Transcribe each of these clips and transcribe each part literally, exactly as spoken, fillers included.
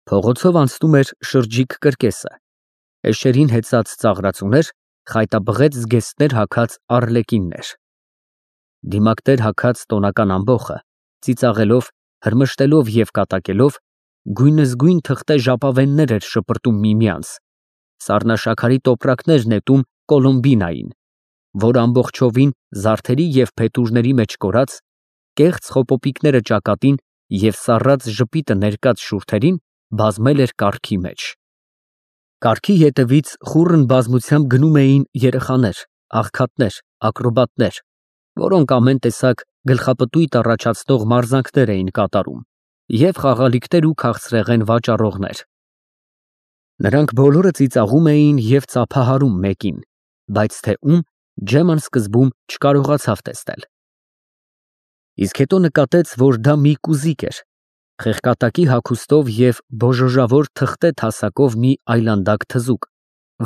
Փողոցով անցնում էր շրջիկ կրկեսը, էշերին հեծած ծաղրածուներ, խայտաբղետ զգեստներ հագած առլեկիններ, դիմակներ հագած տոնական ամբոխը, ծիծաղելով, հրմշտելով և կատակելով, գույնզգույն թղթե ժապավեններ էր շպրտում միմյանց, սառնաշաքարի տոպրակներ նետում Կոլոմբինային, որ ամբողջովին զարդերի և փետուրների մեջ կորած, կեղծ խոպոպիկները ճակատին և սառած ժպիտը ներկած շուրթերին բազմել էր կառքի մեջ։ Կառքի ետևից խուռն բազմությամբ գնում էին երեխաներ, աղքատներ, ակրոբատներ, որոնք ամեն տեսակ գլխապտույտ առաջացնող մարզանքներ էին կատարում, և խաղալիքներ ու քաղցրեղեն վաճառողներ։ Նրանք բոլորը ծիծաղում էին և ծափահարում մեկին, բայց թե ում, Ջեման սկզբում չկարողացավ տեսնել։ Իսկ հետո նկատեց, որ դա մի կուզիկ էր, խեղկատակի հագուստով և բոժոժավոր թղթե թասակով մի այլանդակ թզուկ,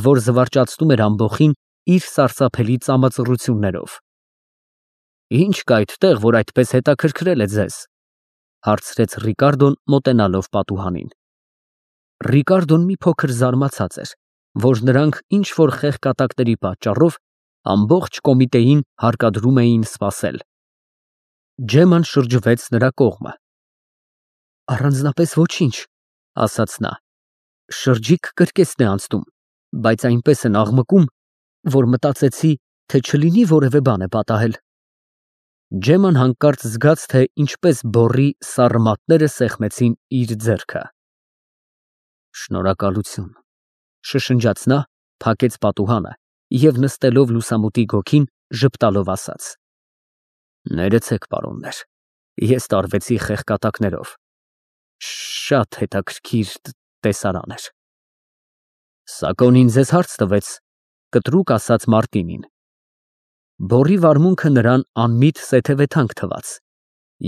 որ զվարճացնում էր ամբոխին իր սարսափելի ծամածռություններով։ ֊ Ի՞նչ կա այդտեղ, որ այդպես հետաքրքրել է ձեզ, ֊ հարցրեց Ռիկարդոն, մոտենալով պատուհանին։ Ռիկարդոն մի փոքր զարմացած էր, որ նրանք ինչ֊որ խեղկատակների պատճառով ամբողջ կոմիտեին հարկադրում էին սպասել։ Ջեման շրջվեց նրա կողմը։ Առանձնապես ոչինչ, ֊ ասաց նա, շրջիկ կրկեսն է անցնում, բայց այնպես են աղմկում, որ մտածեցի, թե չլինի որևէ բան է պատահել։ Ջեման հանկարծ զգաց, թե ինչպես բոռի սառը մատները սեղմեցին իր ձեռքը։ Շնորհակալություն, ֊ շշնջաց նա, փակեց պատուհանը և նստելով լուսամուտի գոգին ժպտալով ասաց. Ներեցեք, պարոններ, ես տարվեցի խեղկատակներով, շատ հետաքրքիր տեսարան էր։ Սակոնին ձեզ հարց տվեց, ֊ կտրուկ ասաց Մարտինին։ Բոռի վարմունքը նրան անմիտ սեթևեթանք թվաց,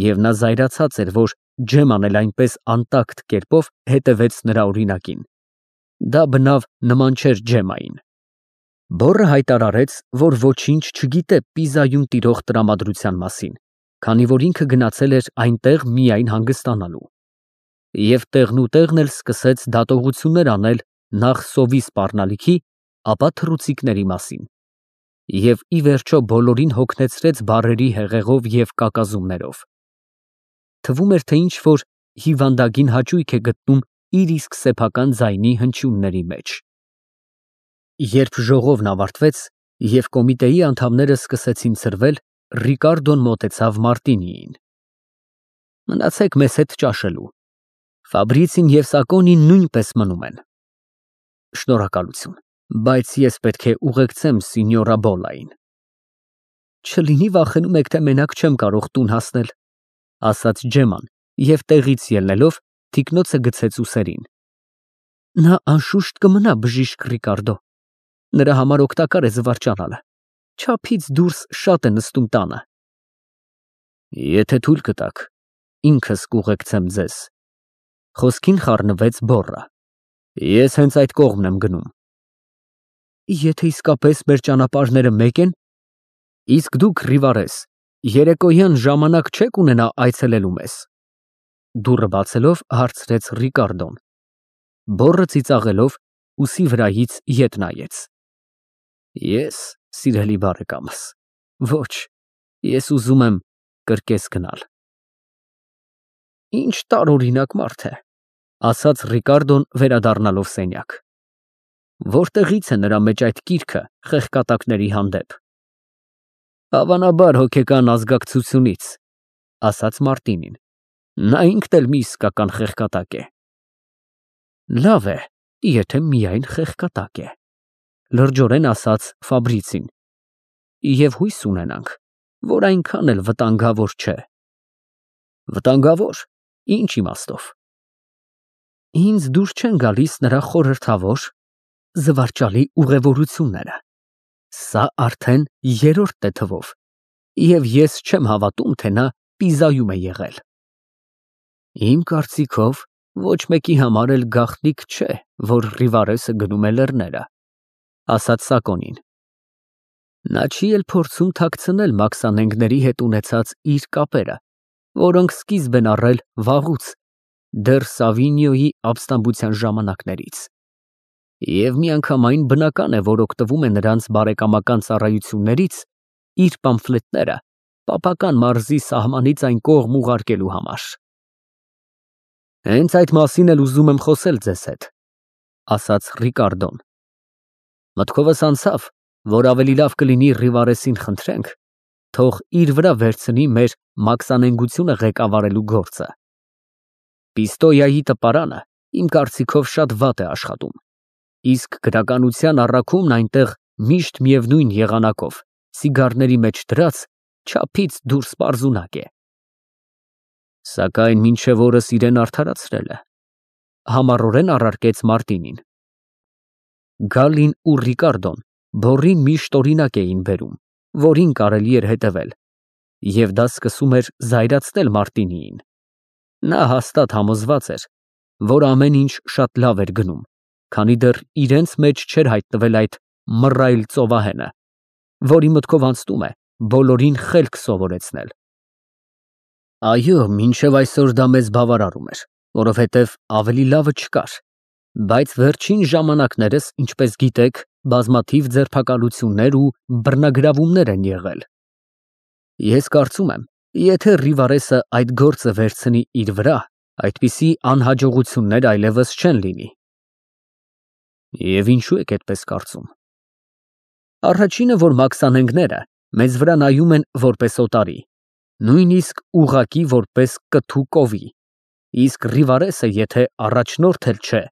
և նա զայրացած էր, որ Ջեման էլ այնպես անտակտ կերպով հետևեց նրա օրինակին։ Դա բնավ նման չէր Ջեմային։ Բոռը հայտարարեց, որ ոչինչ չգիտե Պիզայում տիրող տրամադրության մասին, քանի որ ինքը գնացել էր այնտեղ միայն հանգստանալու։ Եվ տեղնուտեղն էլ սկսեց դատողություններ անել նախ սովի սպառնալիքի, ապա թռուցիկների մասին, և ի վերջո բոլորին հոգնեցրեց բառերի հեղեղով և կակազումներով։ Թվում էր, թե ինչ֊որ հիվանդագին հաճույք է գտնում իր իսկ սեփական ձայնի հնչյունների մեջ։ Երբ ժողովն ավարտվեց և կոմիտեի անդամները սկսեցին ցրվել, Ռիկարդոն մոտեցավ Մարտինիին։ Մնացեք մեզ հետ ճաշելու, Ֆաբրիցին և Սակոնին նույնպես մնում են։ Շնորհակալություն, բայց ես պետք է ուղեկցեմ սինյորա Բոլլային։ Չլինի վախենում եք, թե մենակ չեմ կարող տուն հասնել, ֊ ասաց Ջեման և տեղից ելնելով թիկնոցը գցեց ուսերին։ Նա անշուշտ կմնա բժիշկ Ռիկարդո, նրա համար օգտակար է զվարճանալը, չափից դուրս շատ է նստում տանը։ Եթե թույլ կտաք, ինքս կուղեկցեմ ձեզ, ֊ խոսքին խառնվեց Բոռը։ Ես հենց այդ կողմն եմ գնում։ Եթե իսկապես մեր ճանապարհները մեկ են, իսկ դուք, Ռիվարես, երեկոյան ժամանակ չեք ունենա այցելելու մեզ, ֊ դուռը բացելով հարցրեց Ռիկարդոն։ Բոռը ծիծաղելով ուսի վրայից ետ նայեց։ Ես, սիրելի բարեկամս, ոչ, ես ուզում եմ կրկես գնալ։ Ինչ տարօրինակ մարդ է, ֊ ասաց Ռիկարդոն վերադառնալով սենյակ։ Որտեղից է նրա մեջ այդ կիրքը խեղկատակների հանդեպ։ Հավանաբար հոգեկան ազգակցությունից, ֊ ասաց Մարտինին։ Նա ինքն էլ մի իսկական խեղկատակ է։ Լավ է, եթե միայն խեղկատակ է, ֊ լրջորեն ասաց Ֆաբրիցին, և հույս ունենանք, որ այնքան էլ վտանգավոր չէ։ Վտանգավոր, ինչ իմաստով։ Ինձ դուր չեն գալիս նրա խորհրդավոր, զվարճալի ուղևորությունները։ Սա արդեն երրորդն է թվով, և ես չեմ հավատում, թե նա Պիզայում է եղել։ Իմ կարծիքով, ոչ մեկի համար էլ գաղտնիք չէ, որ Ռիվարեսը գնում է լեռները, ֊ ասաց Սակոնին։ Նա չի էլ փորձում թաքցնել մաքսանենգների հետ ունեցած իր կապերը, որոնք սկիզբ են առել վաղուց, դեռ Սավինյոյի ապստամբության ժամանակներից։ Եվ միանգամայն բնական է, որ օգտվում է նրանց բարեկամական ծառայություններից իր պամֆլետները պապական մարզի սահմանից այն կողմ ուղարկելու համար։ Հենց այդ մասին էլ ուզում եմ խոսել ձեզ հետ, ասաց Ռիկարդոն։ Մտքովս անցավ, որ ավելի լավ կլինի Ռիվարեսին խնդրենք, թող իր վրա վերցնի մեր մաքսանենգությունը ղեկավարելու գործը։ Պիստոյայի տպարանը իմ կարծիքով շատ վատ է աշխատում, իսկ գրականության առաքումն այնտեղ միշտ միևնույն եղանակով, սիգարների մեջ դրած, չափից դուրս պարզունակ է։ Սակայն մինչև օրս իրեն արդարացրել է, համառորեն առարկեց Մարտինին։ Գալին ու Ռիկարդոն բոռին միշտ օրինակ էին բերում, որին կարելի էր հետևել, և դա սկսում էր զայրացնել Մարտինիին։ Նա հաստատ համոզված էր, որ ամեն ինչ շատ լավ էր գնում, քանի դեռ իրենց մեջ չէր հայտնվել այդ մռայլ ծովահենը, որի մտքով անցնում է բոլորին խելք սովորեցնել։ Այո, մինչև այսօր դա մեզ բավարարում էր, որովհետև ավելի լավը չկար, բայց վերջին ժամանակներս, ինչպես գիտեք, բազմաթիվ ձերբակալություններ ու բռնագրավումներ են եղել։ Ես կարծում եմ, եթե Ռիվարեսը այդ գործը վերցնի իր վրա, այդպիսի անհաջողություններ այլևս չեն լինի։ Եվ ինչու եք այդպես կարծում։ Առաջինը, որ մաքսանենգները մեզ վրա նայում են որպես օտարի, նույնիսկ ուղղակի որպես կթու կովի, իսկ Ռիվարեսը եթե առաջնորդ էլ չէ,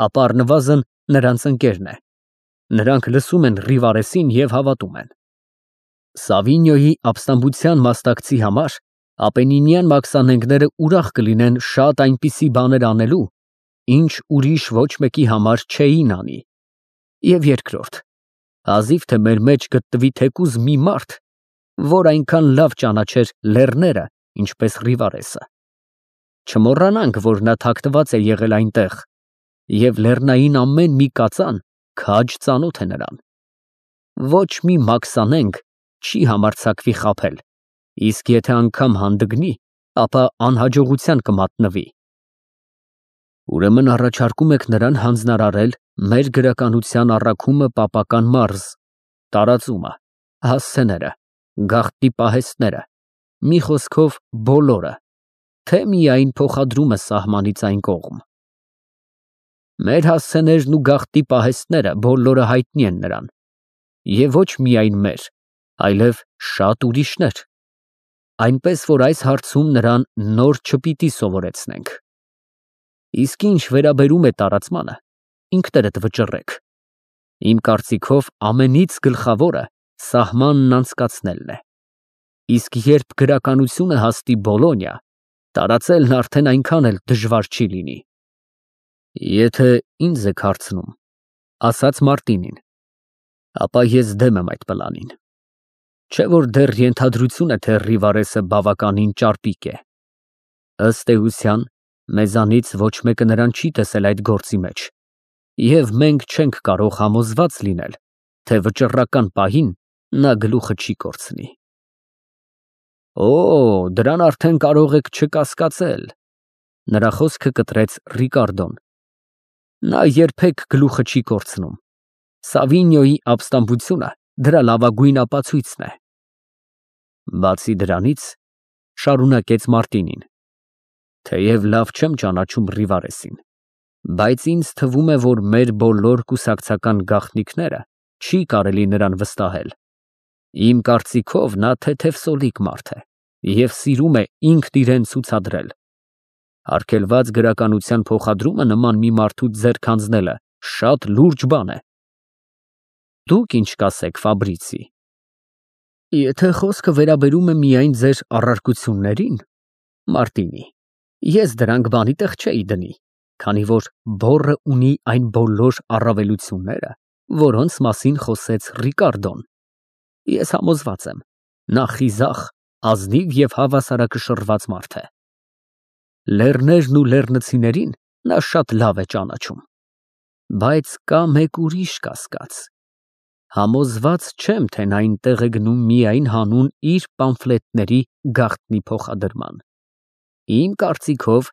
ապա առնվազն նրանց ընկերն է։ Նրանք լսում են Ռիվարեսին և հավատում են։ Սավինյոյի ապստամբության մասնակցի համար ապենինյան մաքսանենգները ուրախ կլինեն շատ այնպիսի բաներ անելու, ինչ ուրիշ ոչ մեկի համար չէին անի։ Եվ երկրորդ, հազիվ թե մեր մեջ գտնվի թեկուզ մի մարդ, որ այնքան լավ ճանաչեր լեռները, ինչպես Ռիվարեսը։ Չմոռանանք, որ նա թաքնված է եղել այնտեղ, և լեռնային ամեն մի կածան քաջ ծանոթ է նրան։ Ոչ մի մաքսանենգ չի համարձակվի խաբել, իսկ եթե անգամ հանդգնի, ապա անհաջողության կմատնվի։ Ուրեմն առաջարկում եք նրան հանձնարարել մեր գրականության առաքումը պապական մարզ, տարածումը, հասցեները, գաղտնի պահեստները, մի խոսքով բոլորը, թե միայն փոխադրումը սահմանից այն կողմ։ Մեր հասցեներն ու գաղտնի պահեստները բոլորը հայտնի են նրան, և ոչ միայն մեր, այլև շատ ուրիշներ, այնպես որ այս հարցում նրան նոր չպիտի սովորեցնենք։ Իսկ ինչ վերաբերում է տարածմանը, ինքներդ վճռեք։ Իմ կարծիքով ամենից գլխավորը սահմանն անցկացնելն է։ Իսկ երբ գրականությունը հասնի Բոլոնիա, տարածելն արդեն այնքան էլ դժվար չի լինի։ Եթե ինձ եք հարցնում, ասաց Մարտինին, ապա ես դեմ եմ այդ պլանին։ Չէ որ դեռ ենթադրություն է, թե Ռիվարեսը բավականին ճարպիկ է։ Ըստ էության, մեզանից ոչ մեկը նրան չի տեսել այդ գործի մեջ, և մենք չենք կարող համոզված լինել, թե վճռական պահին նա գլուխը չի կորցնի։ Օ, դրան արդեն կարող եք չկասկածել, նրա խոսքը կտրեց Ռիկարդոն։ Նա երբեք գլուխը չի կորցնում։ Սավինյոյի ապստամբությունը դրա լավագույն ապացույցն է։ Բացի դրանից, շարունակեց Մարտինին, թեև լավ չեմ ճանաչում Ռիվարեսին, բայց ինձ թվում է, որ մեր բոլոր կուսակցական գաղտնիքները չի կարելի նրան վստահել։ Իմ կարծիքով նա թեթևսոլիկ մարդ է և սիրում է ինքն իրեն ցուցադրել։ Արգելված գրականության փոխադրումը նման մի մարդու ձեռք հանձնելը շատ լուրջ բան է։ Դուք ինչ կասեք, Ֆաբրիցի։ Եթե խոսքը վերաբերում է միայն ձեր առարկություններին, Մարտինի, ես դրանք բանի տեղ չէի դնի, քանի որ բոռը ունի այն բոլոր առավելությունները, որոնց մասին խոսեց Ռիկարդոն։ Ես համոզված եմ, նա խիզախ, ազնիվ և հավասարակշռված մարդ է։ Լեռներն ու լեռնցիներին նա շատ լավ է ճանաչում։ Բայց կա մեկ ուրիշ կասկած։ Համոզված չեմ, թե նա այնտեղ է գնում միայն հանուն իր պամֆլետների գաղտնի փոխադրման։ Իմ կարծիքով,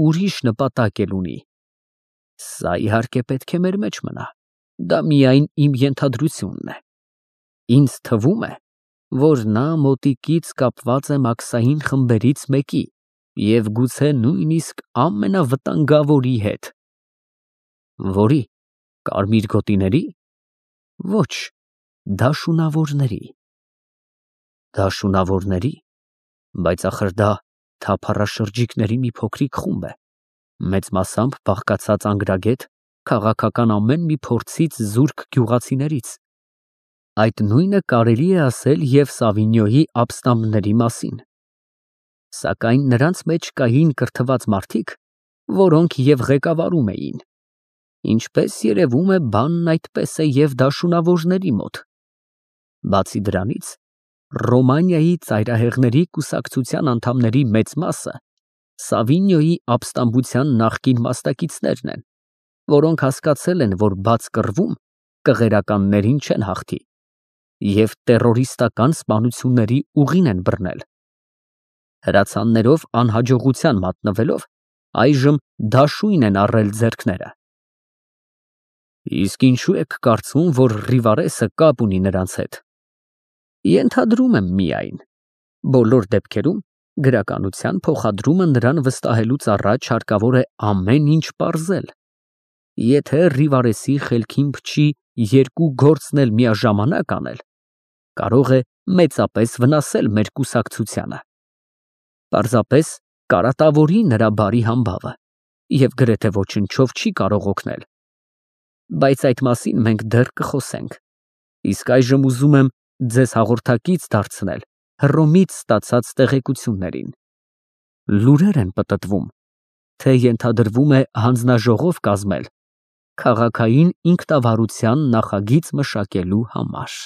ուրիշ նպատակ էլ ունի։ Սա իհարկե պետք է մեր մեջ մնա, դա միայն իմ ենթադրությունն է։ Ինձ թվում է, որ նա մոտիկից կապված է Մաքսային խմբերից մեկի և գուցե նույնիսկ ամենավտանգավորի հետ։ Որի՞, կարմիր գոտիների։ Ոչ, դաշունավորների։ Դաշունավորների, բայց ախր դա թափառաշրջիկների մի փոքրիկ խումբ է, մեծ մասամբ բաղկացած անգրագետ, քաղաքական ամեն մի փորձից զուրկ գյուղացիներից։ Այդ նույնը կարելի է ասել և Սավինյոյի ապստամբների մասին։ Սակայն նրանց մեջ կային կրթված մարդիկ, որոնք և ղեկավարում էին։ Ինչպես երևում է, բանն այդպես է և դաշունավորների մոտ։ Բացի դրանից, Ռոմանիայի ծայրահեղների կուսակցության անդամների մեծ մասը Սավինյոյի ապստամբության նախկին մասնակիցներն են, որոնք հասկացել են, որ բաց կռվում կղերականներին չեն հաղթի և տերորիստական սպանությունների ուղին են բռնել։ Հրացաններով անհաջողության մատնվելով, այժմ դաշույն են առել ձեռքները։ Իսկ ինչու եք կարծում, որ Ռիվարեսը կապ ունի նրանց հետ։ Ենթադրում եմ միայն։ Բոլոր դեպքերում գրականության փոխադրումը նրան վստահելուց առաջ հարկավոր է ամեն ինչ պարզել։ Եթե Ռիվարեսի խելքին փչի երկու գործն էլ միաժամանակ անել, կարող է մեծապես վնասել մեր կուսակցությանը։ Պարզապես կարատավորի նրա բարի համբավը և գրեթե ոչնչով չի կարող օգնել։ Բայց այդ մասին մենք դեռ կխոսենք։ Իսկ այժմ ուզում եմ ձեզ հաղորդակից դարձնել Հռոմից ստացած տեղեկություններին։ Լուրեր են պտտվում, թե ենթադրվում է հանձնաժողով կազմել քաղաքային ինքնավարության նախագիծ մշակելու համար։